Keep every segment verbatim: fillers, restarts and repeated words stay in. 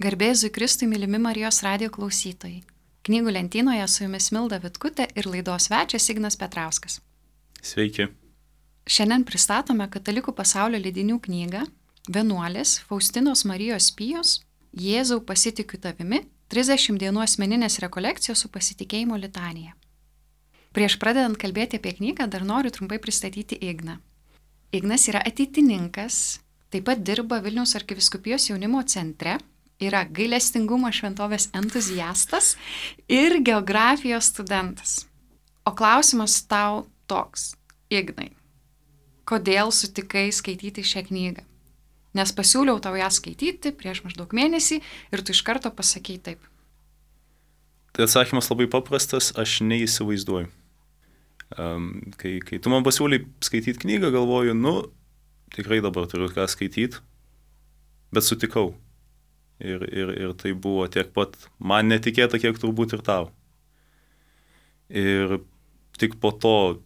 Garbėzui Kristui, mylimi Marijos radijo klausytojai. Knygų lentynoje su jumis Milda Vitkutė ir laidos svečias Ignas Petrauskas. Sveiki. Šiandien pristatome Katalikų pasaulio leidinių knygą Vienuolės Faustinos Marijos Pijos Jėzau pasitikiu tavimi trisdešimt dienų asmeninės rekolekcijos su pasitikėjimo litanija. Prieš pradedant kalbėti apie knygą, dar noriu trumpai pristatyti Igną. Ignas yra ateitininkas, taip pat dirba Vilniaus arkivyskupijos jaunimo centre, yra gailestingumo šventovės entuziastas ir geografijos studentas. O klausimas tau toks, Ignai, kodėl sutikai skaityti šią knygą? Nes pasiūliau tau ją skaityti prieš maždaug mėnesį ir tu iš karto pasakei taip. Tai atsakymas labai paprastas, aš neįsivaizduoju. Um, kai, kai tu man pasiūlai skaityti knygą, galvoju, nu, tikrai dabar turiu ką skaityti, bet sutikau. Ir, ir, ir tai buvo tiek pat man netikėta, kiek turbūt ir tau. Ir tik po to,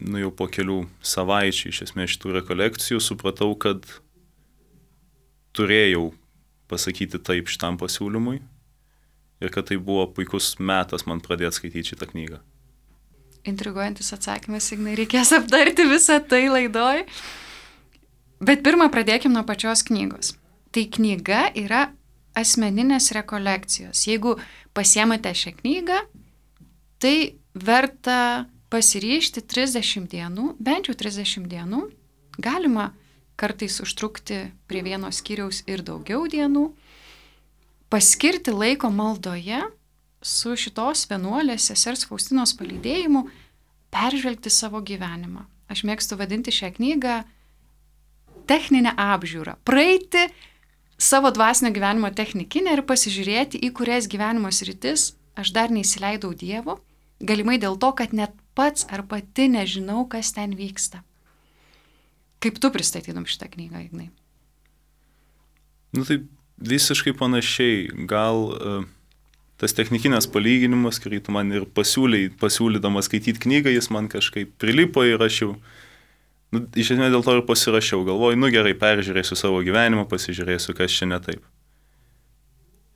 nu jau po kelių savaičių, iš esmės šitų rekolekcijų, supratau, kad turėjau pasakyti taip šitam pasiūlymui ir kad tai buvo puikus metas man pradėti skaityti šitą knygą. Intriguojantis atsakymas, Ignai, reikės aptarti visą tai laidoj. Bet pirmą pradėkim nuo pačios knygos. Tai knyga yra asmeninės rekolekcijos. Jeigu pasiemate šią knygą, tai verta pasiryžti trisdešimt dienų, bent jau trisdešimt dienų. Galima kartais užtrukti prie vieno skyriaus ir daugiau dienų. Paskirti laiko maldoje su šitos vienuolės sesers Faustinos palydėjimu peržvelgti savo gyvenimą. Aš mėgstu vadinti šią knygą techninę apžiūrą. Praeiti savo dvasinio gyvenimo technikinę ir pasižiūrėti, į kurias gyvenimo sritis aš dar neįsileidau Dievo, galimai dėl to, kad net pats ar pati nežinau, kas ten vyksta. Kaip tu pristatytum šitą knygą, Ignai? Nu tai visiškai panašiai. Gal uh, tas technikinės palyginimas, kurį tu man ir pasiūlai, pasiūlydamas skaityti knygą, jis man kažkaip prilipo ir aš jau Nu, iš esmės dėl to ir pasirašiau, galvoju, nu gerai, peržiūrėsiu savo gyvenimą, pasižiūrėsiu, kas čia ne taip.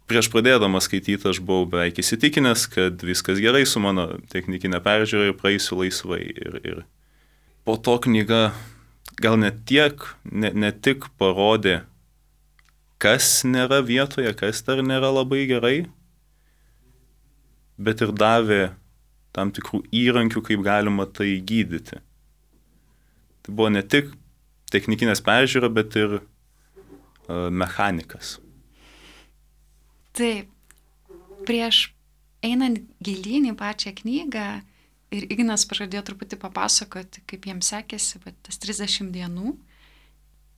Prieš pradėdamas skaityti aš buvau beveik įsitikinęs, kad viskas gerai su mano technikinė peržiūra ir praeisiu laisvai. Ir, ir po to knyga gal ne tiek, ne, ne tik parodė, kas nėra vietoje, kas dar nėra labai gerai, bet ir davė tam tikrų įrankių, kaip galima tai gydyti. Tai buvo ne tik technikinės peržiūra, bet ir uh, mechanikas. Taip. Prieš einant gilyn į pačią knygą ir Ignas pažadėjo truputį papasakoti, kaip jiems sekėsi va, tas trisdešimt dienų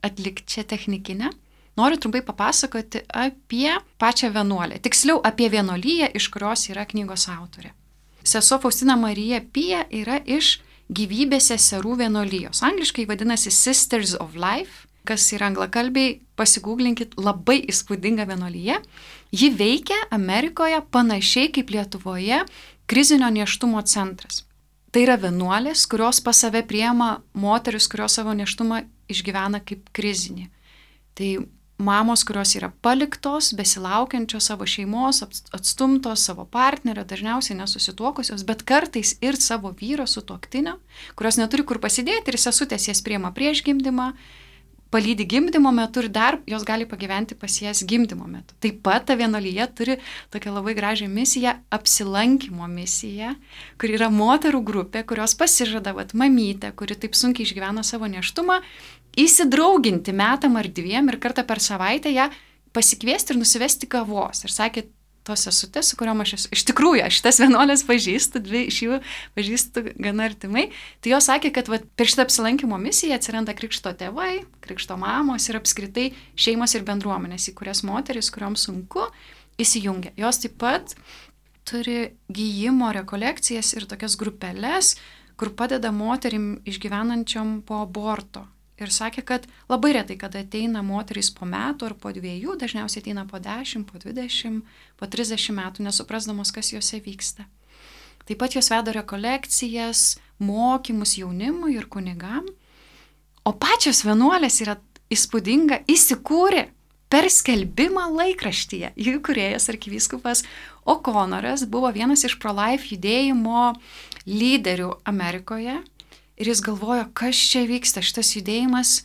atlikti čia technikinę, noriu trumpai papasakoti apie pačią vienuolę. Tiksliau, apie vienuolyją, iš kurios yra knygos autorė. Sesuo Faustina Marija Pija yra iš Gyvybės seserų vienuolijos. Angliškai vadinasi Sisters of Life, kas yra anglakalbiai, pasigūglinkit, labai įspūdinga vienuolyje. Ji veikia Amerikoje panašiai kaip Lietuvoje krizinio nėštumo centras. Tai yra vienuolės, kurios pas save priima moteris, kurios savo nėštumą išgyvena kaip krizinį. Tai mamos, kurios yra paliktos, besilaukiančios savo šeimos, atstumtos savo partnerio, dažniausiai nesusituokusios, bet kartais ir savo vyro sutuoktinio, kurios neturi kur pasidėti ir sesutės jas priima prieš gimdymą, palydi gimdymo metu ir dar jos gali pagyventi pas jas gimdymo metu. Taip pat ta vienuolyje turi tokią labai gražią misiją, apsilankymo misiją, kur yra moterų grupė, kurios pasižada, vat, mamytė, kuri taip sunkiai išgyvena savo nėštumą, įsidrauginti metam ar dviem ir kartą per savaitę ją pasikviesti ir nusivesti kavos. Ir sakė, tos sesutės, su kuriuom aš esu, iš tikrųjų, aš šitas vienuolės pažįstu, dvi iš jų pažįstu gana artimai, tai jos sakė, kad vat, per šitą apsilankymo misiją atsiranda krikšto tėvai, krikšto mamos ir apskritai šeimos ir bendruomenės, į kurias moteris, kurioms sunku, įsijungia. Jos taip pat turi gyjimo rekolekcijas ir tokias grupeles, kur padeda moterim išgyvenančiom po aborto. Ir sakė, kad labai retai, kada ateina moterys po metų ar po dviejų, dažniausiai ateina po dešimt, po dvidešimt, po trisdešimt metų, nesuprasdamos, kas juose vyksta. Taip pat jos veda rekolekcijas, mokymus jaunimui ir kunigam. O pačios vienuolės yra įspūdinga, įsikūrė per skelbimą laikraštyje. Jų įkūrėjas arkivyskupas O'Connoras buvo vienas iš pro-life judėjimo lyderių Amerikoje ir jis galvojo, kas čia vyksta, šitas judėjimas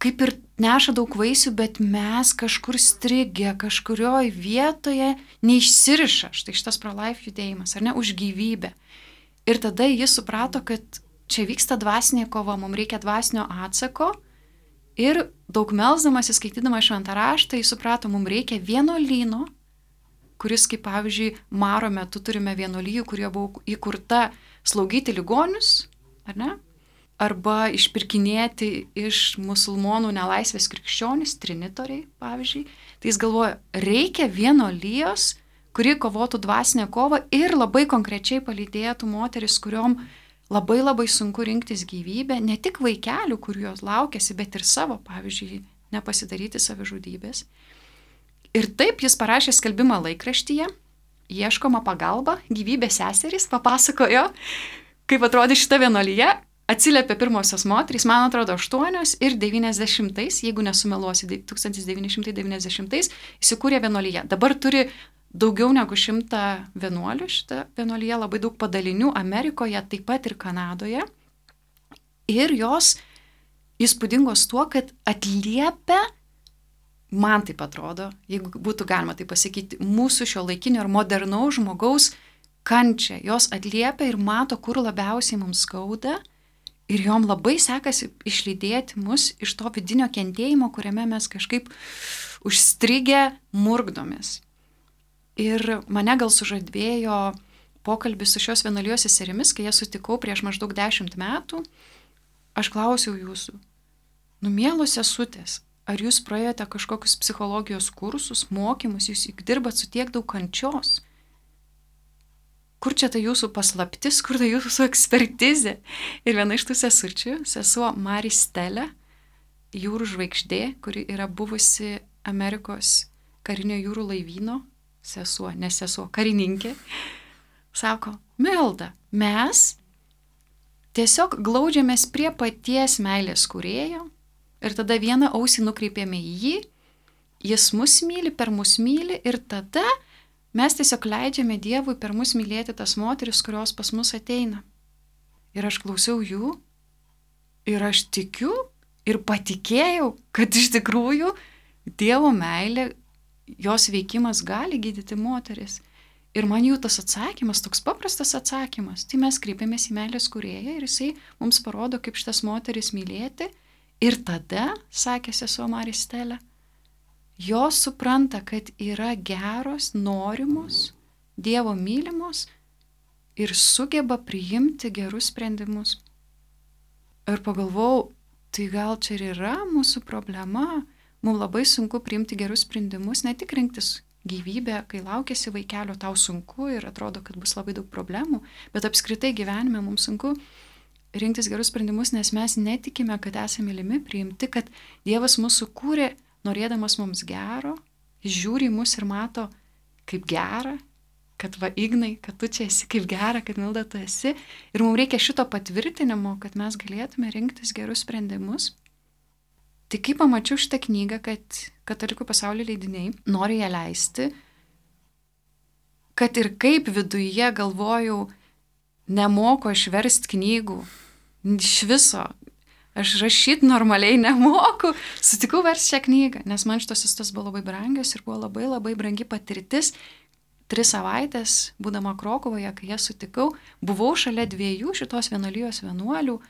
kaip ir neša daug vaisių, bet mes kažkur strigę, kažkurioj vietoje neišsiriša, štai šitas pro-life judėjimas, ar ne, už gyvybę. Ir tada jis suprato, kad čia vyksta dvasinė kova, mums reikia dvasinio atsako. Ir daug melsdamas, įskaitydama šventą raštą, jis suprato, mums reikia vienuolyno, kuris, kaip pavyzdžiui, Maro metu turime vienuolijų, kurie buvo įkurta slaugyti ligonius, ar ne? Arba išpirkinėti iš musulmonų nelaisvės krikščionis, trinitoriai, pavyzdžiui. Tai jis galvoja, reikia vienuolijos, kuri kovotų dvasinę kovą ir labai konkrečiai palydėtų moteris, kuriom labai labai sunku rinktis gyvybę, ne tik vaikelių, kurių jos laukiasi, bet ir savo, pavyzdžiui, nepasidaryti savižudybės. Ir taip jis parašė skelbimą laikraštyje, ieškoma pagalba, gyvybės seserys, papasakojo, kaip atrodė šita vienuolyje, atsiliepė pirmosios moterys, man atrodo, aštuonios ir devyniasdešimtais, jeigu nesumeluosi, tūkstantis devyni šimtai devyniasdešimtais įsikūrė vienuolyje. Dabar turi daugiau negu šimtą vienuolių, šitą vienuolyje labai daug padalinių Amerikoje, taip pat ir Kanadoje. Ir jos įspūdingos tuo, kad atliepia, man taip atrodo, jeigu būtų galima tai pasakyti, mūsų šio laikinio ir modernaus žmogaus kančią. Jos atliepia ir mato, kur labiausiai mums skauda. Ir jom labai sekasi išlydėti mus iš to vidinio kentėjimo, kuriame mes kažkaip užstrigę murkdomės. Ir mane gal sužadvėjo pokalbis su šios vienuolijos seserimis, kai jas sutikau prieš maždaug dešimt metų. Aš klausiau jūsų, nu mielos sesutės, ar jūs praėjote kažkokius psichologijos kursus, mokymus, jūs juk dirbat su tiek daug kančios. Kur čia ta jūsų paslaptis, kur ta jūsų ekspertizė? Ir viena iš tų sesučių, sesuo Mari Stelė, jūrų žvaigždė, kuri yra buvusi Amerikos karinio jūrų laivyno, sesuo, ne sesuo, karininkė, sako, Milda, mes tiesiog glaudžiamės prie paties meilės kūrėjo ir tada vieną ausį nukreipėme į jį, jis mus myli, per mus myli ir tada mes tiesiog leidžiame Dievui per mus mylėti tas moteris, kurios pas mus ateina. Ir aš klausiau jų ir aš tikiu ir patikėjau, kad iš tikrųjų Dievo meilė, jos veikimas gali gydyti moteris. Ir man jų tas atsakymas, toks paprastas atsakymas, tai mes kreipiamės į meilės kūrėją ir jisai mums parodo, kaip šitas moteris mylėti. Ir tada, sakė sesuo Mari Stelė, jos supranta, kad yra geros, norimos, Dievo mylimos ir sugeba priimti gerus sprendimus. Ir pagalvojau, tai gal čia ir yra mūsų problema. Mums labai sunku priimti gerus sprendimus, ne tik rinktis gyvybę, kai laukiasi vaikelio, tau sunku ir atrodo, kad bus labai daug problemų, bet apskritai gyvenime mums sunku rinktis gerus sprendimus, nes mes netikime, kad esame mylimi, priimti, kad Dievas mūsų kūrė, norėdamas mums gero, jis žiūri į mus ir mato, kaip gera, kad va Ignai, kad tu čia esi, kaip gera, kad Milda tu esi. Ir mums reikia šito patvirtinimo, kad mes galėtume rinktis gerus sprendimus. Tai kai pamačiau šitą knygą, kad Katalikų pasaulio leidiniai nori ją leisti, kad ir kaip viduje galvojau, nemoku aš verst knygų, iš viso, aš rašyti normaliai nemoku, sutikau verst šią knygą, nes man šitos istos buvo labai brangios ir buvo labai labai brangi patirtis. Tris savaitės, būdama Krokuvoje, kai jas sutikau, buvau šalia dviejų šitos vienuolijos vienuolių,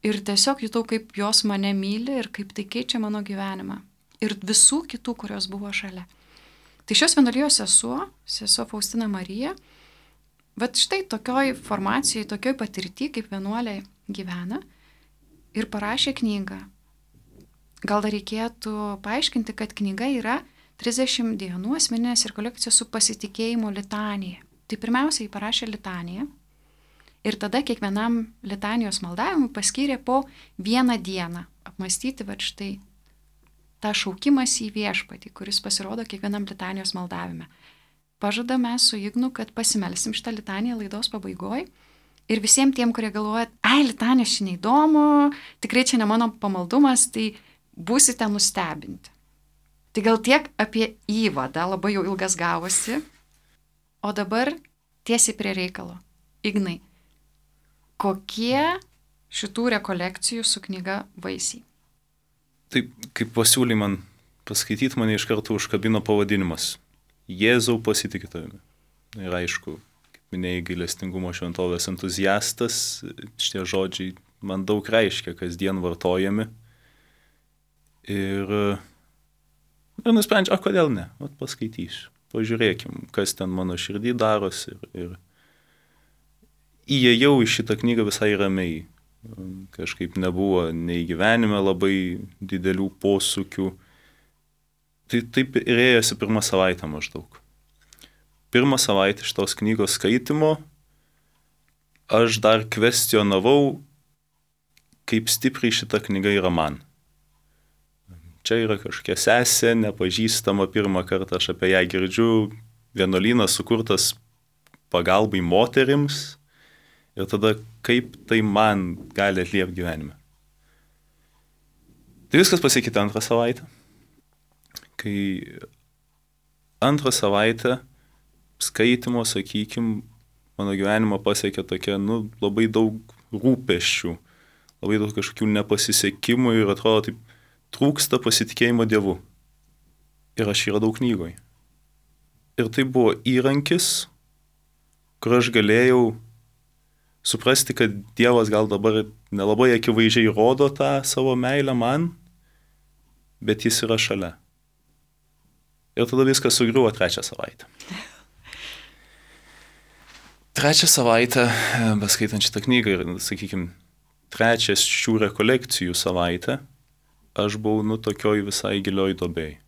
ir tiesiog jutau, kaip jos mane myli ir kaip tai keičia mano gyvenimą. Ir visų kitų, kurios buvo šalia. Tai šios vienuolijos sesuo, sesuo Faustina Marija, vat štai tokioj formacijai, tokioj patirty, kaip vienuolė gyvena, ir parašė knygą. Gal dar reikėtų paaiškinti, kad knyga yra trisdešimt dienų asmeninės rekolekcijos su pasitikėjimo litanija. Tai pirmiausiai parašė litaniją. Ir tada kiekvienam litanijos maldavimui paskyrė po vieną dieną apmastyti va štai tą šaukimas į viešpatį, kuris pasirodo kiekvienam litanijos maldavime. Pažada mes su Ignu, kad pasimelsim šitą litaniją laidos pabaigoj. Ir visiems tiem, kurie galvoja, ai, litanija šiandien neįdomu, tikrai čia ne mano pamaldumas, tai būsite nustebinti. Tai gal tiek apie įvadą, labai jau ilgas gavosi. O dabar tiesiai prie reikalo. Ignai, kokie šitų rekolekcijų su knyga vaisiai? Taip, kaip pasiūlė man paskaityti, mane iš karto užkabino pavadinimas. Jėzau pasitikė tavimi. Ir aišku, kaip minėjai, gailestingumo šventovės entuziastas, šitie žodžiai man daug reiškia, kasdien vartojami. Ir, ir nusprendžiu, o kodėl ne, o paskaitysiu. Pažiūrėkim, kas ten mano širdį darosi. Ir, ir įėjau į šitą knygą visai ramiai. Kažkaip nebuvo nei gyvenime labai didelių posūkių. Tai taip ir ėjosi pirmą savaitę maždaug. Pirmą savaitę šitos knygos skaitimo aš dar kvestionavau, kaip stipriai šita knyga yra man. Čia yra kažkokia sesė, nepažįstama, pirmą kartą aš apie ją girdžiu, vienuolynas sukurtas pagalbai moterims ir tada kaip tai man gali atliepti gyvenime. Tai viskas pasikeitė antrą savaitę. Kai antrą savaitę skaitimo, sakykim, mano gyvenimo pasiekė tokia, nu, labai daug rūpesčių, labai daug kažkokių nepasisekimų ir atrodo taip, trūksta pasitikėjimo Dievu. Ir aš jį radau knygoje. Ir tai buvo įrankis, kur aš galėjau suprasti, kad Dievas gal dabar nelabai akivaizdžiai rodo tą savo meilę man, bet jis yra šalia. Ir tada viskas sugriuvo trečią savaitę. Trečią savaitę, beskaitant šitą knygą ir, sakykime, trečias šių rekolekcijų savaitę, aš buvau, nu, tokioj visai gilioj duobėj.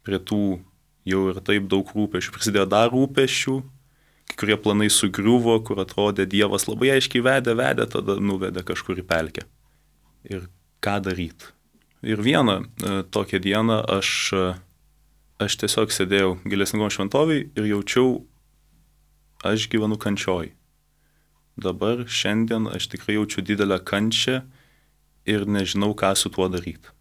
Prie tų jau ir taip daug rūpesčių. Prisidėjo dar rūpesčių, kai kurie planai sugriuvo, kur atrodė Dievas labai aiškiai vedė, vedė, tada nuvedė kažkur į pelkę. Ir ką daryti? Ir vieną e, tokią dieną aš, aš tiesiog sėdėjau gailestingumo šventovėj ir jaučiau, aš gyvenu kančioj. Dabar šiandien aš tikrai jaučiu didelę kančią ir nežinau, ką su tuo daryti.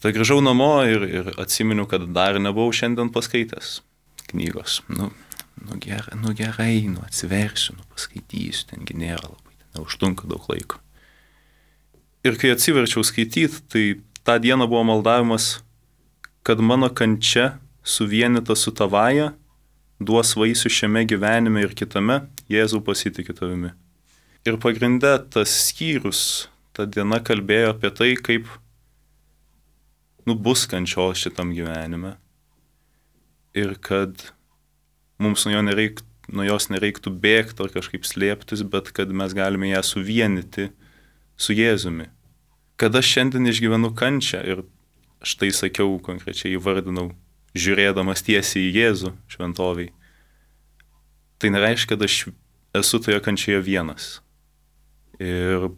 Tai grįžau namo ir, ir atsiminiau, kad dar nebuvau šiandien paskaitęs knygos. Nu, nu, gerai, nu gerai, nu atsiversiu, nu paskaitysiu, tengi nėra labai, ten neužtrunka daug laiko. Ir kai atsiverčiau skaityti, tai tą dieną buvo maldavimas, kad mano kančia suvienyta su tavaja duos vaisių šiame gyvenime ir kitame, Jėzau pasitikė tavimi. Ir pagrinde tas skyrius, ta diena kalbėjo apie tai, kaip nu, bus kančios šitam gyvenime ir kad mums nuo, jo nereik, nuo jos nereiktų bėgti ar kažkaip slėptis, bet kad mes galime ją suvienyti su Jėzumi. Kad aš šiandien išgyvenu kančią ir štai sakiau, konkrečiai įvardinau, žiūrėdamas tiesiai į Jėzų šventoviai, tai nereiškia, kad aš esu toje kančioje vienas. Ir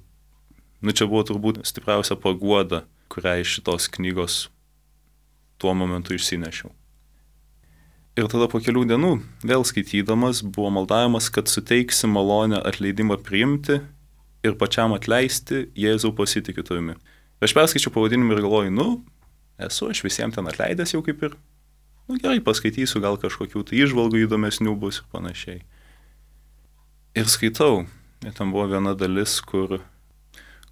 nu, čia buvo turbūt stipriausia paguoda, kurią iš šitos knygos tuo momentu išsinešiau. Ir tada po kelių dienų, vėl skaitydamas, buvo maldavimas, kad suteiksi malonę atleidimą priimti ir pačiam atleisti, Jėzau pasitikiu tavimi. Aš perskaičiau pavadinimą ir galvoju, nu, esu aš visiems ten atleidęs jau kaip ir, nu gerai, paskaitysiu, gal kažkokių tai įžvalgų įdomesnių bus ir panašiai. Ir skaitau, ir ten buvo viena dalis, kur,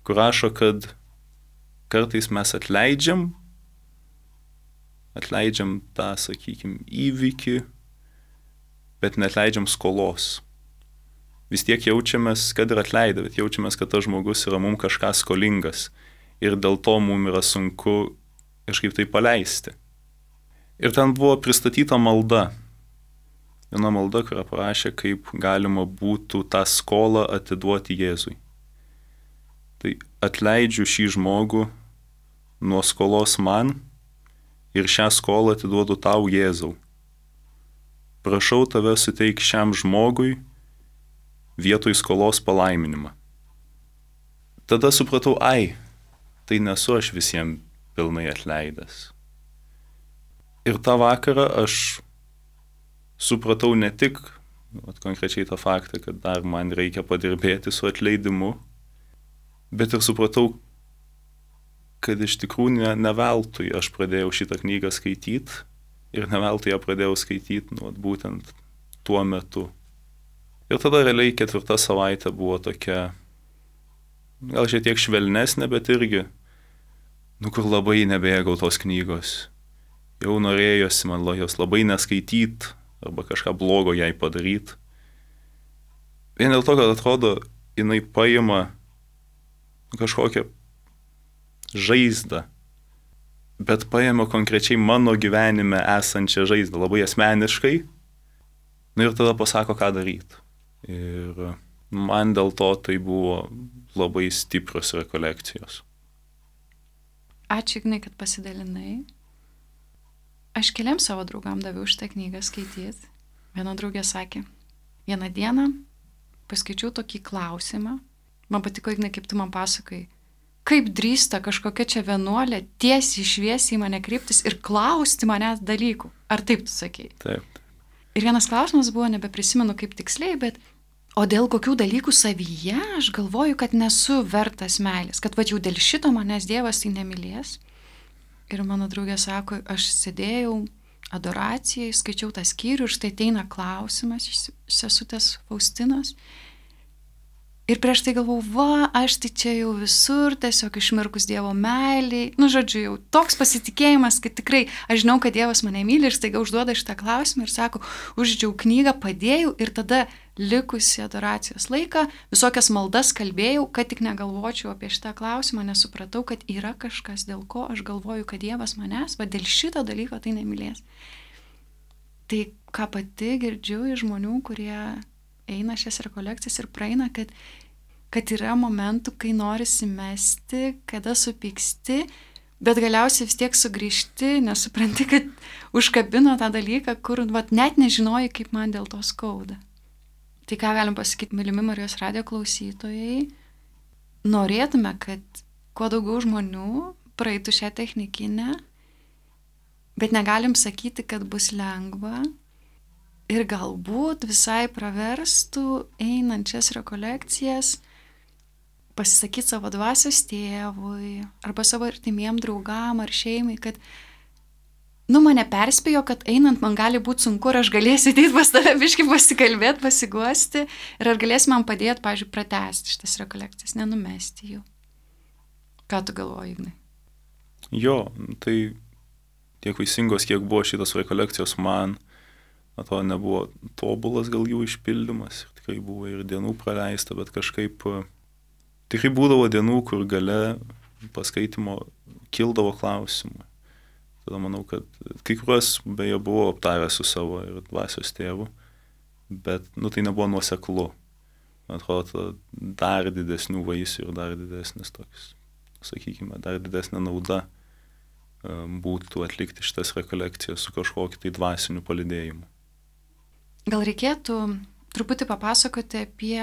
kur rašo, kad kartais mes atleidžiam, atleidžiam tą, sakykime, įvykį, bet neatleidžiam skolos. Vis tiek jaučiamės, kad ir atleidę, bet jaučiamės, kad tas žmogus yra mums kažką skolingas ir dėl to mums yra sunku kažkaip tai paleisti. Ir ten buvo pristatyta malda. Viena malda, kurią parašė, kaip galima būtų tą skolą atiduoti Jėzui. Tai atleidžiu šį žmogų nuo skolos man ir šią skolą atiduodu tau, Jėzau. Prašau tave suteik šiam žmogui vietoj skolos palaiminimą. Tada supratau, ai, tai nesu aš visiems pilnai atleidęs. Ir tą vakarą aš supratau ne tik at, konkrečiai tą faktą, kad dar man reikia padirbėti su atleidimu, bet ir supratau, kad iš tikrųjų ne, ne veltui aš pradėjau šitą knygą skaityti ir ne veltui ją pradėjau skaityti nu, būtent tuo metu. Ir tada realiai ketvirta savaitė buvo tokia, gal šiek tiek švelnesnė, bet irgi, nu kur labai nebėgau tos knygos. Jau norėjosi man jos labai neskaityti arba kažką blogo jai padaryti. Vien dėl to, kad atrodo, jinai paima kažkokią žaizdą, bet paima konkrečiai mano gyvenime esančią žaizdą, labai asmeniškai, nu ir tada pasako, ką daryti. Ir man dėl to tai buvo labai stiprios rekolekcijos. Ačiū, Ignai, kad pasidalinai. Aš keliam savo draugam daviau šitą knygą skaityti. Viena draugė sakė, vieną dieną paskaičiau tokį klausimą. Man patiko, Ignai, kaip tu man pasakai, kaip drįsta kažkokia čia vienuolė tiesiai šviesiai į mane kreiptis ir klausti manęs dalykų. Ar taip tu sakei? Taip. Ir vienas klausimas buvo, nebeprisimenu kaip tiksliai, bet o dėl kokių dalykų savyje aš galvoju, kad nesu vertas meilės, kad va jau dėl šito manęs Dievas tai nemylės. Ir mano draugė sako, aš sėdėjau adoracijai, skaičiau tą skyrių ir štai ateina klausimas iš sesutės Faustinos. Ir prieš tai galvau, va, aš tai čia jau visur, tiesiog išmirkus Dievo meiliai. Nu, žodžiu, jau toks pasitikėjimas, kad tikrai aš žinau, kad Dievas mane myli ir staiga užduoda šitą klausimą ir sako, uždžiau knygą, padėjau ir tada likusi adoracijos laiką visokias maldas kalbėjau, kad tik negalvočiau apie šitą klausimą, nesupratau, kad yra kažkas, dėl ko aš galvoju, kad Dievas manęs, va dėl šito dalyko tai nemylės. Tai ką pati girdžiu iš žmonių, kurie eina šias rekolekcijas ir praeina, kad, kad yra momentų, kai norisi mesti, kada supyksti, bet galiausiai vis tiek sugrįžti, nesupranti, kad užkabino tą dalyką, kur vat, net nežinoji, kaip man dėl to skauda. Tai ką galim pasakyti, mylimi Marijos radijo klausytojai, norėtume, kad kuo daugiau žmonių praeitų šią technikinę, bet negalim sakyti, kad bus lengva. Ir galbūt visai praverstų einančias rekolekcijas pasisakyti savo dvasios tėvui arba savo artimiem draugam ar šeimai, kad nu mane perspėjo, kad einant man gali būti sunku ir aš galėsiu ateiti pas tave biškį pasikalbėti, pasiguosti ir ar galėsi man padėti, pavyzdžiui, pratęsti šitas rekolekcijas, nenumesti jų. Ką tu galvoji, Ignai? Jo, tai tiek vaisingos, kiek buvo šitas rekolekcijos man, atrodo, nebuvo tobulas gal jų išpildymas ir tikrai buvo ir dienų praleista, bet kažkaip tikrai būdavo dienų, kur gale paskaitimo kildavo klausimų. Tada manau, kad kai kuriuos beje buvo aptaręs su savo ir dvasios tėvu, bet nu, tai nebuvo nuoseklu. Atrodo, dar didesnių vaisių ir dar didesnis toks, sakykime, dar didesnė nauda būtų atlikti šitas rekolekcijas su kažkokiu tai dvasiniu palydėjimu. Gal reikėtų truputį papasakoti apie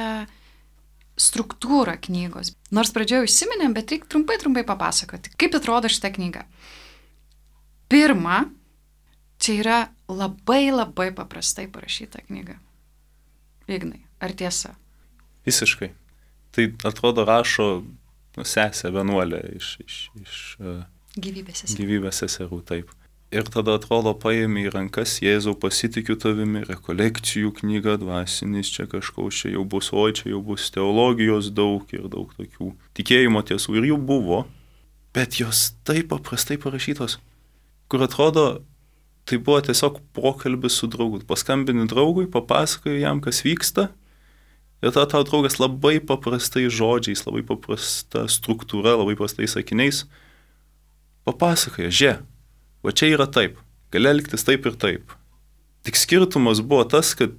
struktūrą knygos. Nors pradžioje užsiminėm, bet reikia trumpai, trumpai papasakoti, kaip atrodo šitą knygą. Pirma, čia yra labai labai paprastai parašyta knyga. Ignai, ar tiesa? Visiškai. Tai atrodo rašo sesė vienuolė iš, iš, iš gyvybės seserų. Gyvybės seserų, taip. Ir tada atrodo paėmė į rankas, Jėzau, pasitikiu tavimi, rekolekcijų knyga, dvasinis čia kažkoks, čia jau bus, oi, čia jau bus teologijos daug ir daug tokių tikėjimo tiesų. Ir jų buvo, bet jos taip paprastai parašytos, kur atrodo, tai buvo tiesiog pokalbis su draugu. Paskambini draugui, papasakoji jam, kas vyksta, ir tada tau draugas labai paprastai žodžiais, labai paprasta struktūra, labai paprastais sakiniais papasakoja, žė. O čia yra taip, gali elgtis taip ir taip. Tik skirtumas buvo tas, kad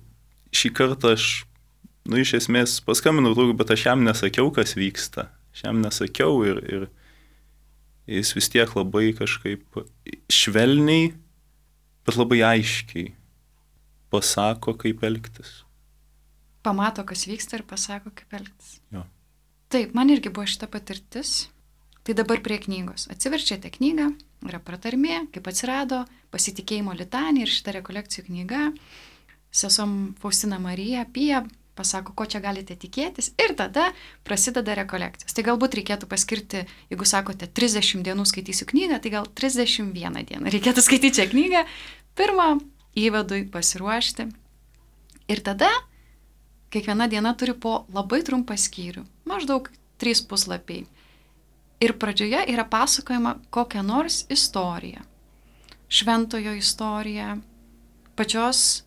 šį kartą aš, nu, iš esmės paskambinau draugui, bet aš jam nesakiau, kas vyksta. Aš jam nesakiau ir, ir jis vis tiek labai kažkaip švelniai, bet labai aiškiai pasako, kaip elgtis. Pamato, kas vyksta ir pasako, kaip elgtis. Jo. Taip, man irgi buvo šita patirtis. Tai dabar prie knygos. Atsiverčiate knygą, yra pratarmė, kaip atsirado pasitikėjimo litanija ir šita rekolekcijų knyga. Sesom Faustina Marija apie pasako, ko čia galite tikėtis ir tada prasideda rekolekcijos. Tai galbūt reikėtų paskirti, jeigu sakote, trisdešimt dienų skaitysiu knygą, tai gal trisdešimt vieną dieną reikėtų skaityti šią knygą, pirmą įvadui pasiruošti. Ir tada kiekviena diena turi po labai trumpą skyrių, maždaug trys puslapiai. Ir pradžioje yra pasakojama kokia nors istorija, šventojo istorija, pačios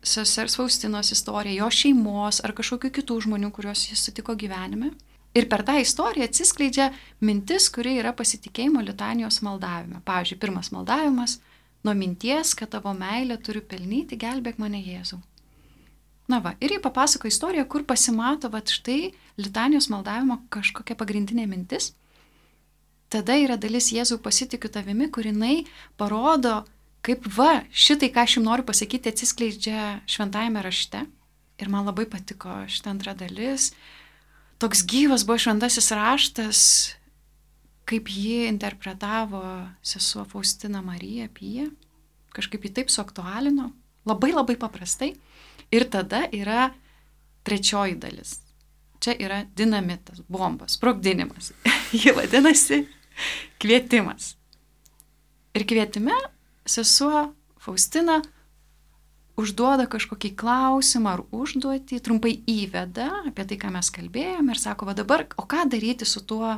sesers Faustinos istorija, jo šeimos ar kažkokių kitų žmonių, kuriuos jis sutiko gyvenime. Ir per tą istoriją atsiskleidžia mintis, kuri yra pasitikėjimo litanijos maldavime. Pavyzdžiui, pirmas maldavimas – nuo minties, kad tavo meilę turiu pelnyti, gelbėk mane Jėzau. Na va, ir jį papasako istoriją, kur pasimato, va štai litanijos maldavimo kažkokia pagrindinė mintis. Tada yra dalis Jėzau pasitikiu tavimi, kur jinai parodo, kaip va, šitai, ką aš jums noriu pasakyti, atsiskleidžia šventajame rašte. Ir man labai patiko šitą antrą dalis. Toks gyvas buvo šventasis raštas, kaip jį interpretavo sesuo Faustina Marija Pija. Kažkaip jį taip suaktualino. Labai labai paprastai. Ir tada yra trečioji dalis. Čia yra dinamitas, bombas, sprogdinimas. Ji vadinasi kvietimas. Ir kvietime sesuo Faustina užduoda kažkokį klausimą ar užduotį, trumpai įveda apie tai, ką mes kalbėjome ir sako, va dabar, o ką daryti su tuo,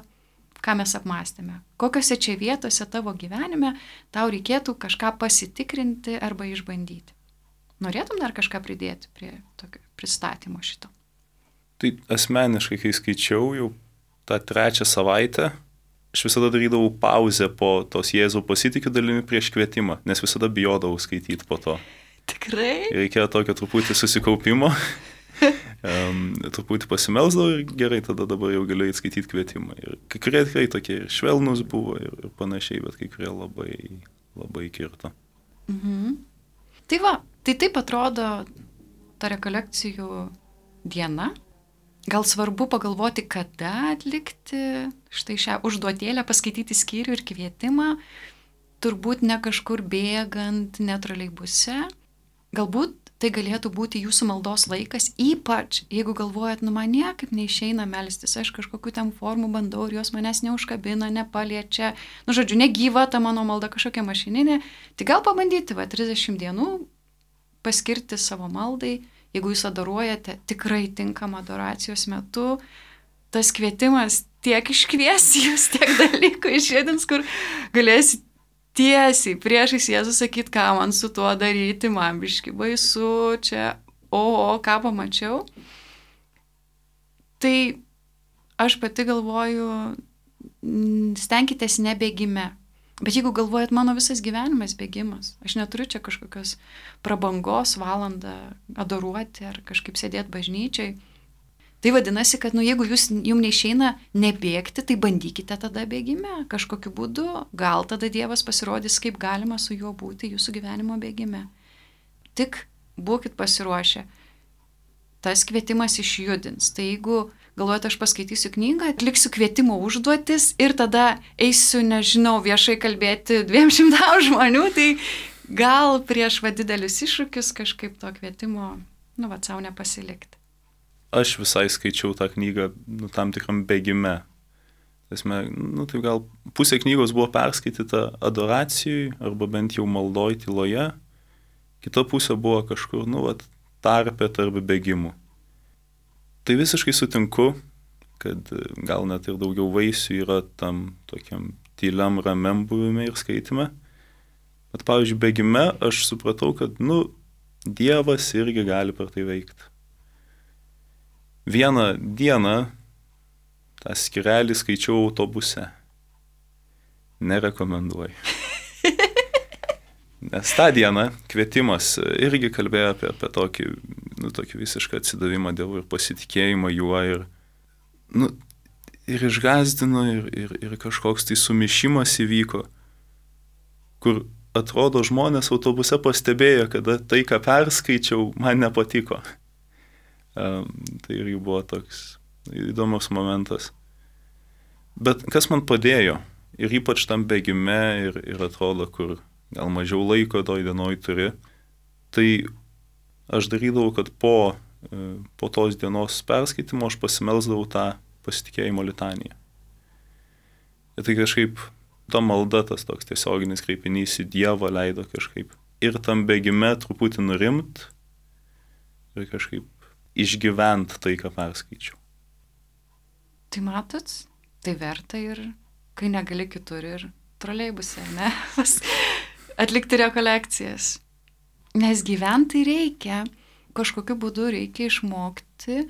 ką mes apmąstėme? Kokiose čia vietose tavo gyvenime tau reikėtų kažką pasitikrinti arba išbandyti? Norėtum dar kažką pridėti prie tokio pristatymo šito? Tai asmeniškai, kai skaičiau jau tą trečią savaitę, aš visada darydavau pauzę po tos Jėzau pasitikiu dalimi prieš kvietimą, nes visada bijodavau skaityti po to. Tikrai? Reikėjo tokio truputį susikaupimo, um, truputį pasimelsdavau ir gerai, tada dabar jau galiu įskaityti kvietimą. Ir kai kurie tikrai tokie ir švelnus buvo ir, ir panašiai, bet kai kurie labai, labai kirto. Mhm. Tai va, tai taip atrodo ta rekolekcijų diena. Gal svarbu pagalvoti, kada atlikti štai šią užduotėlę, paskaityti skyrių ir kvietimą, turbūt ne kažkur bėgant, ne troleibuse. Galbūt tai galėtų būti jūsų maldos laikas, ypač jeigu galvojat, nu man niekaip neišeina melstis, aš kažkokių ten formų bandau ir jos manęs neužkabina, nepaliečia, nu žodžiu, negyva ta mano malda kažkokia mašininė, tai gal pabandyti, va, trisdešimt dienų paskirti savo maldai. Jeigu jūs adoruojate tikrai tinkamą adoracijos metu, tas kvietimas tiek iškvies jūs, tiek dalykų išėdins, kur galėsit tiesiai priešais Jėzų sakyti, ką man su tuo daryti, man biški baisu, čia, o, o, ką pamačiau. Tai aš pati galvoju, stenkitės nebėgime. Bet jeigu galvojat, mano visas gyvenimas bėgimas, aš neturiu čia kažkokios prabangos valandą adoruoti ar kažkaip sėdėti bažnyčiai, tai vadinasi, kad nu, jeigu jūs, jums neišeina nebėgti, tai bandykite tada bėgime kažkokiu būdu, gal tada Dievas pasirodys, kaip galima su juo būti jūsų gyvenimo bėgime. Tik būkit pasiruošę. Tas kvietimas išjudins. Tai jeigu galvojate, aš paskaitysiu knygą, atliksiu kvietimo užduotis ir tada eisiu, nežinau, viešai kalbėti dviem šimtam žmonių, tai gal prieš va didelius iššūkius kažkaip to kvietimo, nu, va, savo nepasilikti. Aš visai skaičiau tą knygą, nu, tam tikram bėgime. Tasme, nu, tai gal pusė knygos buvo perskaityta adoracijui arba bent jau maldoj tyloje, kita pusė buvo kažkur, nu, va, tarpė tarp bėgimų. Tai visiškai sutinku, kad gal net ir daugiau vaisių yra tam tokiam tyliam ramiam buvime ir skaitime. Bet, pavyzdžiui, bėgime aš supratau, kad, nu, Dievas irgi gali per tai veikti. Vieną dieną tą skyrelį skaičiau autobuse. Nerekomenduoju. Nes tą dieną kvietimas irgi kalbėjo apie, apie tokį, nu, tokį visišką atsidavimą Dievui ir pasitikėjimą juo ir, nu, ir išgazdino ir, ir, ir kažkoks tai sumišimas įvyko, kur atrodo žmonės autobuse pastebėjo, kad tai, ką perskaičiau, man nepatiko. Um, tai irgi buvo toks įdomus momentas. Bet kas man padėjo, ir ypač tam bėgime ir, ir atrodo, kur gal mažiau laiko toj dienoj turi, tai aš darydavau, kad po po tos dienos perskaitimo aš pasimelsdavau tą pasitikėjimo litaniją. Ir tai kažkaip ta malda, tas toks tiesioginis kreipinys į Dievą leido kažkaip ir tam bėgime truputį nurimt ir kažkaip išgyvent tai, ką perskaičiau. Tai matot, tai verta ir kai negali kitur ir troleibuse, ne? Atlikti rekolekcijas. Nes gyventi reikia, kažkokiu būdu reikia išmokti,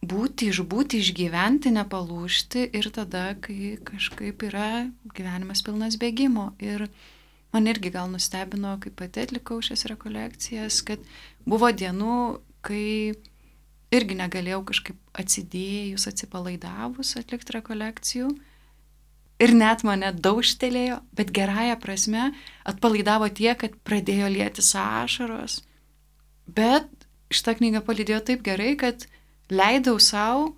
būti, išbūti, išgyventi, nepalūžti ir tada, kai kažkaip yra gyvenimas pilnas bėgimo. Ir man irgi gal nustebino, kai pati atlikau šias rekolekcijas, kad buvo dienų, kai irgi negalėjau kažkaip atsidėjus, atsipalaidavus atlikti rekolekcijų. Ir net mane daužtelėjo, bet gerąją prasme atpalaidavo tiek, kad pradėjo lietis ašaros. Bet šitą knygą palydėjo taip gerai, kad leidau savo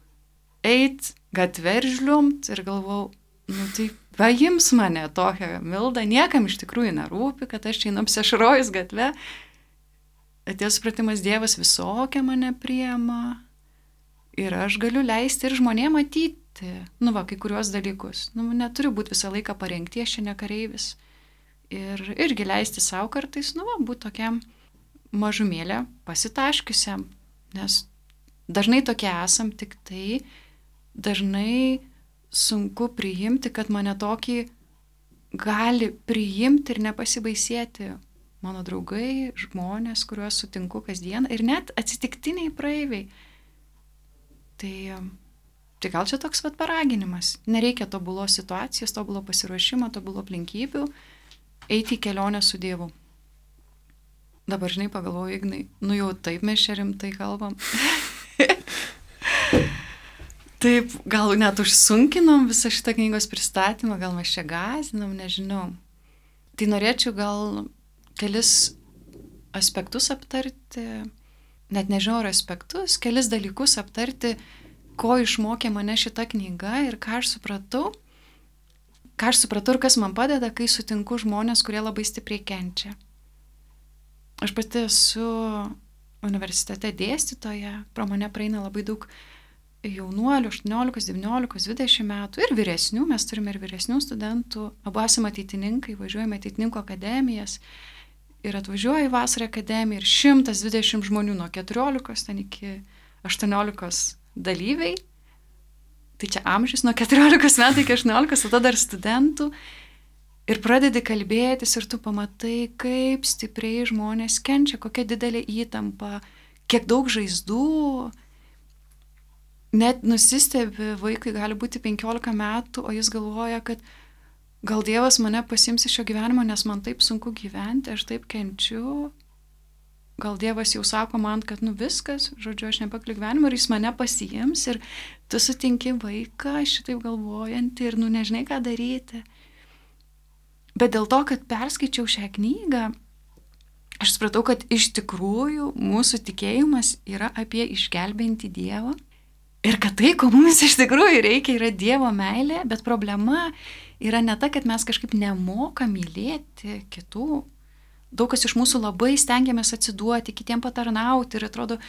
eit gatvę ir žliumt ir galvau, nu tai paims mane tokią mildą, niekam iš tikrųjų nerūpi, kad aš čia einu apsiašarojus gatvę. Atėjo supratimas, Dievas visokią mane priema ir aš galiu leisti ir žmonėm matyti, nu va, kai kuriuos dalykus. Nu, neturiu būti visą laiką parengti, aš čia ne kareivis. Ir irgi leisti savo kartais, nu va, būti tokiam mažumėlė pasitaškiusiam, nes dažnai tokie esam, tik tai dažnai sunku priimti, kad mane tokį gali priimti ir nepasibaisėti mano draugai, žmonės, kuriuos sutinku kasdien ir net atsitiktiniai praeiviai. Tai, tai gal čia toks vat paraginimas. Nereikia tobulos situacijos, tobulo pasiruošimo, tobulo aplinkybių, eiti į kelionę su Dievu. Dabar, žinai, pagalvoju, Ignai, nu jau taip mes čia rimtai kalbam. Taip, gal net užsunkinom visą šitą knygos pristatymą, gal mes čia gąsdinom, nežinau. Tai norėčiau gal kelis aspektus aptarti, net nežinau ar aspektus, kelis dalykus aptarti, ko išmokė mane šita knyga ir ką aš supratau, ką aš supratau ir kas man padeda, kai sutinku žmonės, kurie labai stipriai kenčia. Aš pati esu universitete dėstytoja, pro mane praeina labai daug jaunuolių, aštuoniolikos, devyniolikos, dvidešimt metų ir vyresnių, mes turime ir vyresnių studentų, abu esame ateitininkai, važiuojame ateitininkų akademijas ir atvažiuoja į vasarą akademiją ir šimtas dvidešimt žmonių nuo keturiolikos ten iki aštuoniolikos dalyviai, tai čia amžius nuo keturiolikos metų iki aštuoniolikos, tada dar studentų ir pradedi kalbėtis ir tu pamatai, kaip stipriai žmonės kenčia, kokia didelė įtampa, kiek daug žaizdų. Net nusistebi, vaikui gali būti penkiolika metų, o jis galvoja, kad gal Dievas mane pasiims iš šio gyvenimo, nes man taip sunku gyventi, aš taip kenčiu. Gal Dievas jau sako man, kad nu viskas, žodžiu, aš nepakliu gyvenimą ir jis mane pasiims ir tu sutinki vaiką šitaip galvojantį ir nu nežinai, ką daryti. Bet dėl to, kad perskaičiau šią knygą, aš supratau, kad iš tikrųjų mūsų tikėjimas yra apie išgelbėjantį Dievą. Ir kad tai, ko mums iš tikrųjų reikia, yra Dievo meilė, bet problema yra ne ta, kad mes kažkaip nemokam mylėti kitų. Daug kas iš mūsų labai stengiamės atsiduoti, kitiem patarnauti ir atrodo,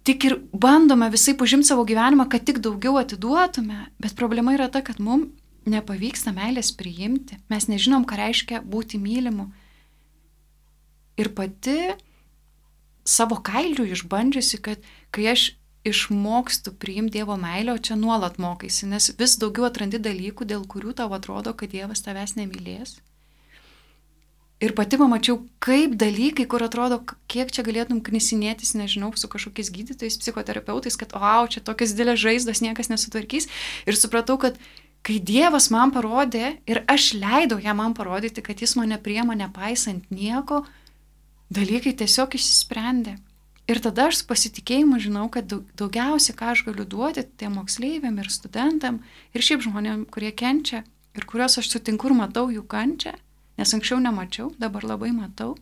tik ir bandome visai užimti savo gyvenimą, kad tik daugiau atiduotume, bet problema yra ta, kad mums nepavyksta meilės priimti. Mes nežinom, ką reiškia būti mylimu. Ir pati savo kailiu išbandžiusi, kad kai aš išmokstu priimti Dievo meilę, o čia nuolat mokaisi, nes vis daugiau atrandi dalykų, dėl kurių tau atrodo, kad Dievas tavęs nemylės. Ir pati pamačiau, kaip dalykai, kur atrodo, kiek čia galėtum knisinėtis, nežinau, su kažkokiais gydytojais, psichoterapeutais, kad, o, čia tokias didelės žaizdos niekas nesutvarkys. Ir supratau, kad kai Dievas man parodė ir aš leidau jam man parodyti, kad jis mane priema nepaisant nieko, dalykai tiesiog išsisprendė. Ir tada aš su pasitikėjimu žinau, kad daugiausia, ką aš galiu duoti tiem moksleiviam ir studentam ir šiaip žmonėm, kurie kenčia ir kuriuos aš sutinku ir matau jų kančią, nes anksčiau nemačiau, dabar labai matau,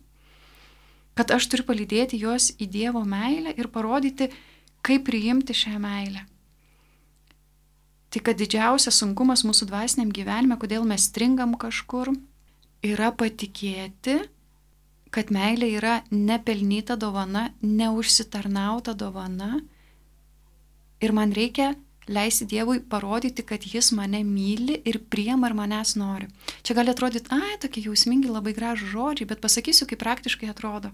kad aš turiu palydėti juos į Dievo meilę ir parodyti, kaip priimti šią meilę. Tai kad didžiausias sunkumas mūsų dvasiniam gyvenime, kodėl mes stringam kažkur, yra patikėti, kad meilė yra nepelnyta dovana, neužsitarnauta dovana ir man reikia leisti Dievui parodyti, kad jis mane myli ir priima ir manęs nori. Čia gali atrodyti, ai, tokie jausmingi, labai gražų žodžiai, bet pasakysiu, kaip praktiškai atrodo.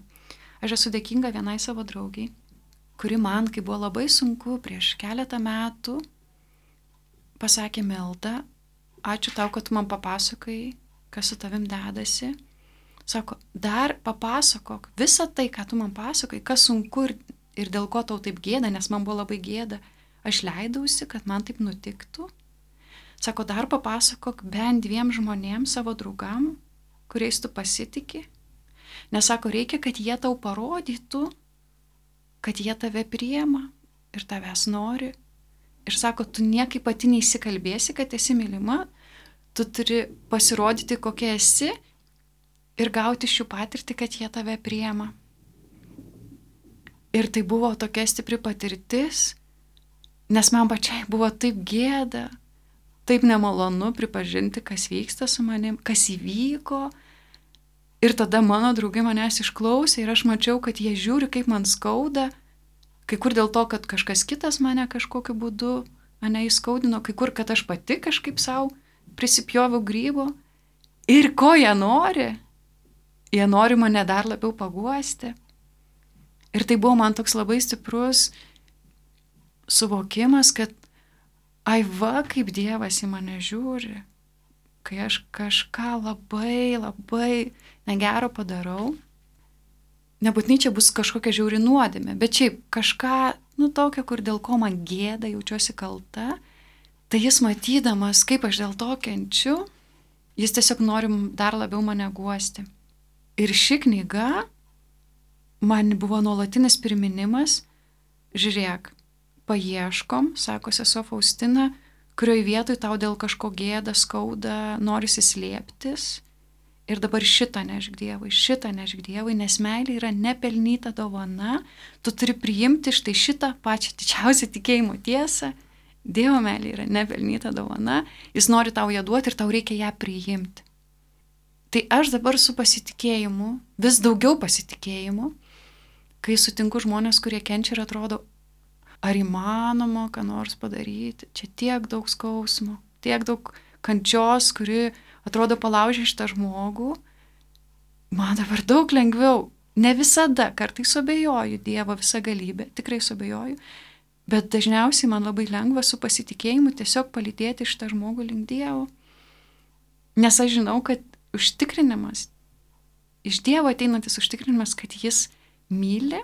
Aš esu dėkinga vienai savo draugiai, kuri man, kai buvo labai sunku prieš keletą metų, pasakė: Milda, ačiū tau, kad tu man papasakai, kas su tavim dedasi. Sako, dar papasakok visą tai, ką tu man pasakai, kas sunku ir, ir dėl ko tau taip gėda, nes man buvo labai gėda. Aš leidausi, kad man taip nutiktų. Sako, dar papasakok bent dviem žmonėms, savo draugam, kuriais tu pasitiki. Nes sako, reikia, kad jie tau parodytų, kad jie tave priima ir tavęs nori. Ir sako, tu niekaip pati neįsikalbėsi, kad esi mylima, tu turi pasirodyti, kokia esi ir gauti šių patirtį, kad jie tave priima. Ir tai buvo tokia stipri patirtis, nes man pačiai buvo taip gėda, taip nemalonu pripažinti, kas vyksta su manim, kas įvyko. Ir tada mano draugai manęs išklausė ir aš mačiau, kad jie žiūri, kaip man skauda, kai kur dėl to, kad kažkas kitas mane kažkokiu būdu mane įskaudino, kai kur, kad aš pati kažkaip savo prisipjoviau grybo. Ir ko jie nori? Jie nori mane dar labiau paguosti. Ir tai buvo man toks labai stiprus suvokimas, kad ai va, kaip Dievas į mane žiūri, kai aš kažką labai, labai negero padarau. Nebūtinai čia bus kažkokia žiauri nuodėmė, bet šiaip kažką, nu tokio, kur dėl ko man gėda, jaučiuosi kalta, tai jis matydamas, kaip aš dėl to kenčiu, jis tiesiog nori dar labiau mane guosti. Ir ši knyga man buvo nuolatinis priminimas, žiūrėk, paieškom, sako sesuo Faustina, kurioj vietoj tau dėl kažko gėda, skauda, norisi slėptis. Ir dabar šitą nešk Dievui, šitą nešk Dievui, nes meilė yra nepelnyta dovana, tu turi priimti štai šitą pačią didžiausią tikėjimo tiesą. Dievo meilė yra nepelnyta dovana, jis nori tau ją duoti ir tau reikia ją priimti. Tai aš dabar su pasitikėjimu, vis daugiau pasitikėjimu, kai sutinku žmonės, kurie kenčia ir atrodo, ar įmanoma ką nors padaryti, čia tiek daug skausmo, tiek daug kančios, kuri atrodo palaužė šitą žmogų, man dabar daug lengviau, ne visada, kartais suabejoju Dievo visą galybę, tikrai suabejoju, bet dažniausiai man labai lengva su pasitikėjimu tiesiog palydėti šitą žmogų link Dievo. Nes aš žinau, kad užtikrinimas, iš Dievo ateinantis užtikrinimas, kad jis myli,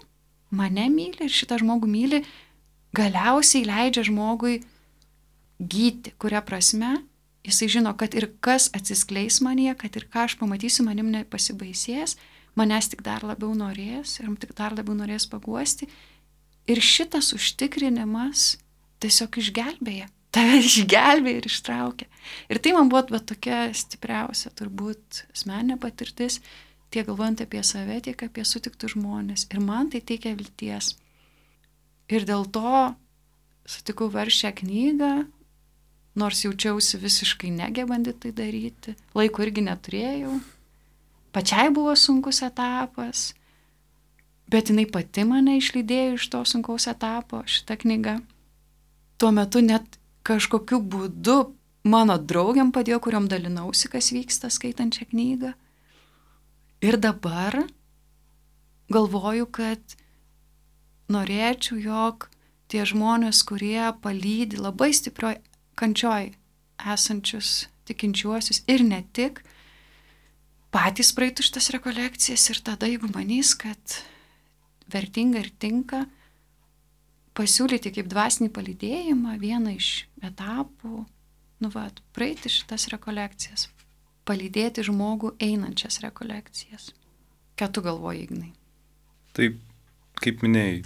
mane myli ir šitą žmogų myli, galiausiai leidžia žmogui gyti, kuria prasme jisai žino, kad ir kas atsiskleis manyje, kad ir ką aš pamatysiu, manim nepasibaisės, manęs tik dar labiau norės ir tik dar labiau norės paguosti. Ir šitas užtikrinimas tiesiog išgelbėja, tave išgelbėja ir ištraukia. Ir tai man buvo bet tokia stipriausia, turbūt asmeninė patirtis, tiek galvojant apie save, tiek apie sutiktus žmonės. Ir man tai teikia vilties. Ir dėl to sutikau verst šią knygą, nors jaučiausi visiškai negebandi tai daryti. Laiko irgi neturėjau. Pačiai buvo sunkus etapas, bet jinai pati mane išlydėjo iš to sunkaus etapo, šitą knygą. Tuo metu net kažkokiu būdu mano draugiam padėjo, kuriom dalinausi, kas vyksta skaitant šią knygą. Ir dabar galvoju, kad norėčiau, jog tie žmonės, kurie palydi labai stiprioj kančioj esančius tikinčiuosius ir ne tik, patys praeitų šitas rekolekcijas ir tada, jeigu manys, kad vertinga ir tinka, pasiūlyti kaip dvasinį palydėjimą vieną iš etapų, nu va, praeiti šitas rekolekcijas, palydėti žmogų einančias rekolekcijas. Ką tu galvoji, Ignai? Taip, kaip minėjai,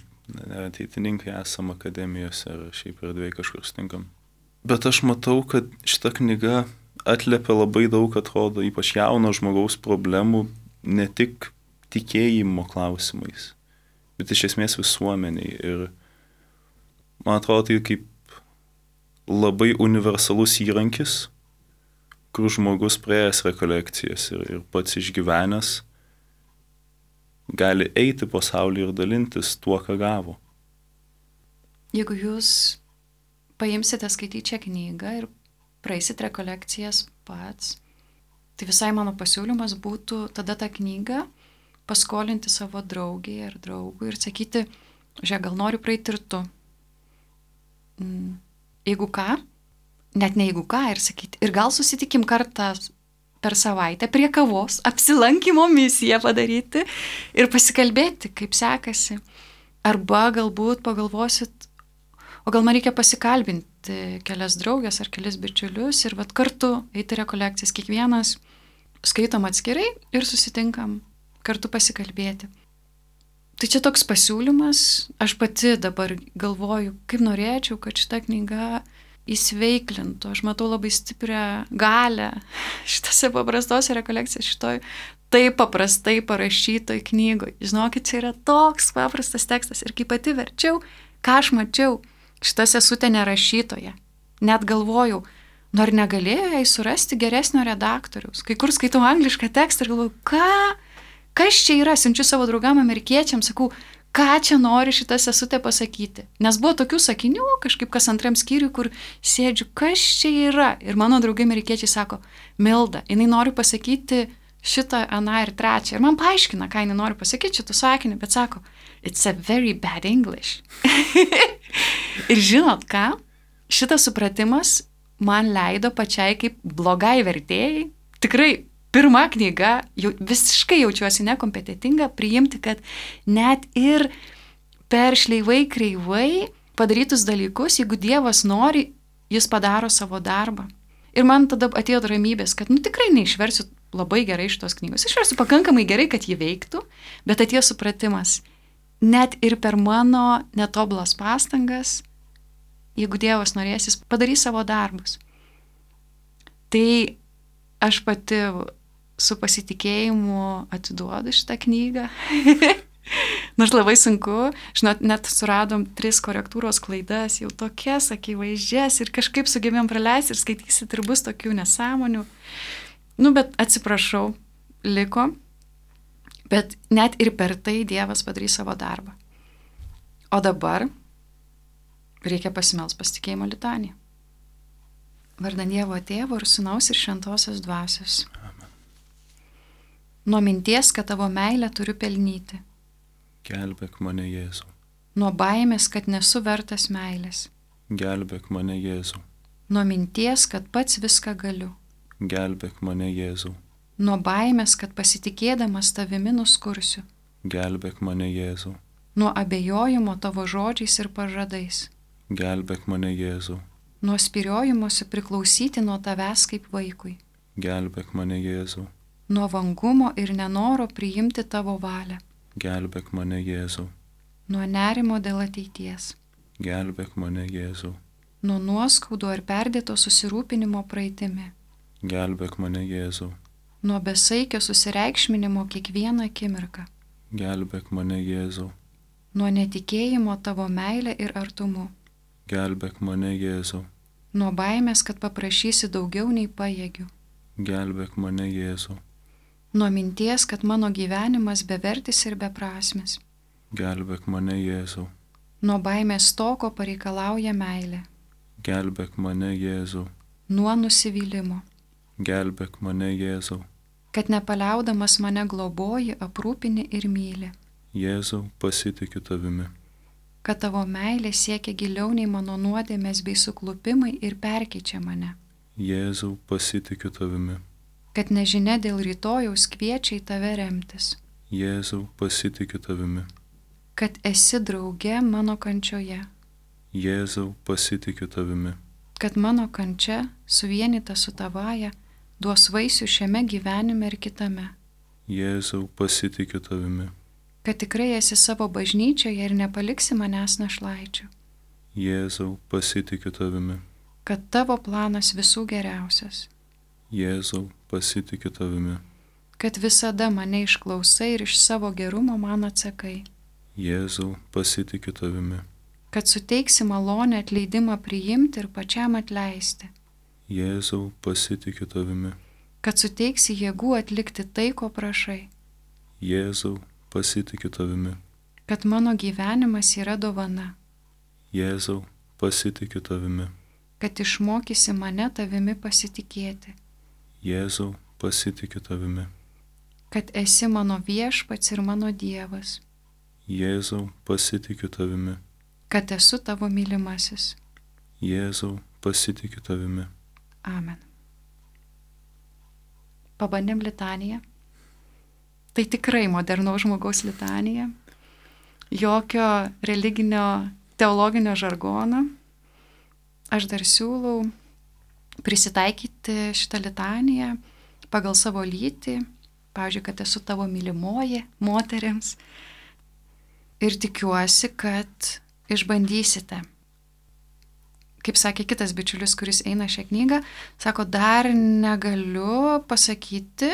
ateitininkai esam akademijose ar šiaip erdvėje kažkur stinkam. Bet aš matau, kad šita knyga atliepia labai daug, atrodo, ypač jauno žmogaus problemų, ne tik tikėjimo klausimais, bet iš esmės visuomeniai. Ir man atrodo, tai kaip labai universalus įrankis, kur žmogus praėjęs rekolekcijas ir, ir pats išgyvenęs gali eiti po pasaulį ir dalintis tuo, ką gavo. Jeigu jūs paimsite skaityti šią knygą ir praeisit rekolekcijas pats, tai visai mano pasiūlymas būtų tada tą knygą paskolinti savo draugiai ar draugui ir sakyti, žiūrėk, gal noriu praeiti ir tu. Jeigu ką, net ne jeigu ką, ir sakyti, ir gal susitikim kartą per savaitę prie kavos, apsilankymo misiją padaryti ir pasikalbėti, kaip sekasi. Arba galbūt pagalvosit, o gal man reikia pasikalbinti kelias draugės ar kelias bičiulius ir vat kartu eiti rekolekcijas, kiekvienas skaitom atskirai ir susitinkam kartu pasikalbėti. Tai čia toks pasiūlymas, aš pati dabar galvoju, kaip norėčiau, kad šita knyga įsveiklintų. Aš matau labai stiprią galę šitose paprastose rekolekcijose, šitoj taip paprastai parašytoj knygoj. Žinokit, čia yra toks paprastas tekstas ir kai pati verčiau, ką aš mačiau, šita sesutė nerašytoja. Net galvojau, nu ar negalėjo jai surasti geresnio redaktoriaus. Kai kur skaitau anglišką tekstą ir galvoju, ką? Kas čia yra? Siunčiu savo draugam amerikiečiams, sakau, ką čia nori šita sesutė pasakyti. Nes buvo tokių sakinių, kažkaip kas antram skyriui, kur sėdžiu, kas čia yra. Ir mano draugai amerikiečiai sako, Milda, jinai nori pasakyti šitą, aną ir trečią. Ir man paaiškina, ką jinai nori pasakyti šitų sakinį, bet sako, it's a very bad English. Ir žinot ką? Šitas supratimas man leido pačiai kaip blogai vertėjai, tikrai pirma knyga, jau, visiškai jaučiuosi nekompetentinga, priimti, kad net ir per šleivai kreivai padarytus dalykus, jeigu Dievas nori, jis padaro savo darbą. Ir man tada atėjo ramybės, kad nu tikrai neišversiu labai gerai šitos knygos. Išversiu pakankamai gerai, kad jį veiktų, bet atėjo supratimas, net ir per mano netobulas pastangas, jeigu Dievas norės, jis padarys savo darbus. Tai aš pati su pasitikėjimu atiduodu šitą knygą. Nors labai sunku, žinot, net suradom tris korektūros klaidas, jau tokias akivaizdžias ir kažkaip sugebėjom praleisti ir skaitysit ir bus tokių nesąmonių. Nu, bet atsiprašau, liko, bet net ir per tai Dievas padarys savo darbą. O dabar reikia pasimels pasitikėjimo litaniją. Vardan Dievo Tėvo ir Sūnaus ir Šventosios Dvasios. Nuo minties, kad tavo meilę turiu pelnyti. Gelbėk mane, Jėzau. Nuo baimės, kad nesu vertas meilės. Gelbėk mane, Jėzau. Nuo minties, kad pats viską galiu. Gelbėk mane, Jėzau. Nuo baimės, kad pasitikėdamas tavimi nuskursiu. Gelbėk mane, Jėzau. Nuo abejojimo tavo žodžiais ir pažadais. Gelbėk mane, Jėzau. Nuo spyriojimuose priklausyti nuo tavęs kaip vaikui. Gelbėk mane, Jėzau. Nuo vangumo ir nenoro priimti tavo valią. Gelbėk mane, Jėzau. Nuo nerimo dėl ateities. Gelbėk mane, Jėzau. Nuo nuoskaudų ar perdėto susirūpinimo praeitimi. Gelbėk mane, Jėzau. Nuo besaikio susireikšminimo kiekvieną akimirką. Gelbėk mane, Jėzau. Nuo netikėjimo tavo meilę ir artumu. Gelbėk mane, Jėzau. Nuo baimės, kad paprašysi daugiau nei pajėgiu. Gelbėk mane, Jėzau. Nuo minties, kad mano gyvenimas bevertis ir beprasmis. Gelbėk mane, Jėzau. Nuo baimės toko pareikalauja meilė. Gelbėk mane, Jėzau. Nuo nusivylimo. Gelbėk mane, Jėzau. Kad nepaliaudamas mane globoji, aprūpini ir myli. Jėzau, pasitikiu tavimi. Kad tavo meilė siekia giliau nei mano nuodėmės bei suklupimai ir perkeičia mane. Jėzau, pasitikiu tavimi. Kad nežinia dėl rytojaus kviečia į tave remtis. Jėzau, pasitikiu tavimi. Kad esi drauge mano kančioje. Jėzau, pasitikiu tavimi. Kad mano kančia, suvienyta su tavaja, duos vaisių šiame gyvenime ir kitame. Jėzau, pasitikiu tavimi. Kad tikrai esi savo bažnyčioje ir nepaliksi manęs našlaičių. Jėzau, pasitikiu tavimi. Kad tavo planas visų geriausias. Jėzau, pasitikiu tavimi. Kad visada mane išklausai ir iš savo gerumo man atsakai. Jėzau, pasitikiu tavimi. Kad suteiksi malonę atleidimą priimti ir pačiam atleisti. Jėzau, pasitikiu tavimi. Kad suteiksi jėgų atlikti tai, ko prašai. Jėzau, pasitikiu tavimi. kad mano gyvenimas yra dovana, Jėzau, pasitikiu tavimi. kad išmokysi mane tavimi pasitikėti, Jėzau, pasitikiu tavimi. kad esi mano viešpats ir mano Dievas, Jėzau, pasitikiu tavimi. kad esu tavo mylimasis. Jėzau, pasitikiu tavimi. Amen. Pabandėm litaniją. Tai tikrai modernaus žmogaus litanija. Jokio religinio, teologinio žargono. Aš dar siūlau prisitaikyti šitą litaniją pagal savo lytį. Pavyzdžiui, kad esu tavo mylimoji moterims. Ir tikiuosi, kad išbandysite. Kaip sakė kitas bičiulis, kuris eina šią knygą, sako, dar negaliu pasakyti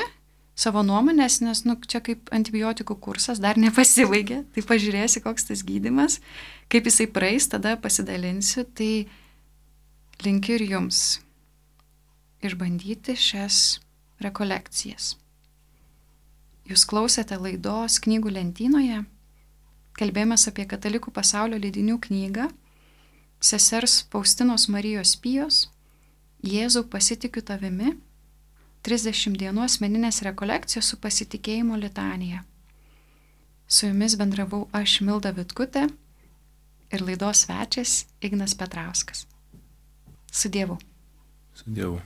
savo nuomonės, nes nu, čia kaip antibiotikų kursas, dar nepasibaigė, tai pažiūrėsi, koks tas gydymas, kaip jisai praeis, tada pasidalinsiu, tai linkiu ir jums išbandyti šias rekolekcijas. Jūs klausėte laidos Knygų lentynoje, kalbėjomės apie Katalikų pasaulio leidinių knygą, sesers Faustinos Marijos Pijos, Jėzau pasitikiu tavimi, trisdešimt dienų asmeninės rekolekcijos su pasitikėjimo litanija. Su jumis bendravau aš, Milda Vitkutė, ir laidos svečias Ignas Petrauskas. Su Dievu. Su Dievu.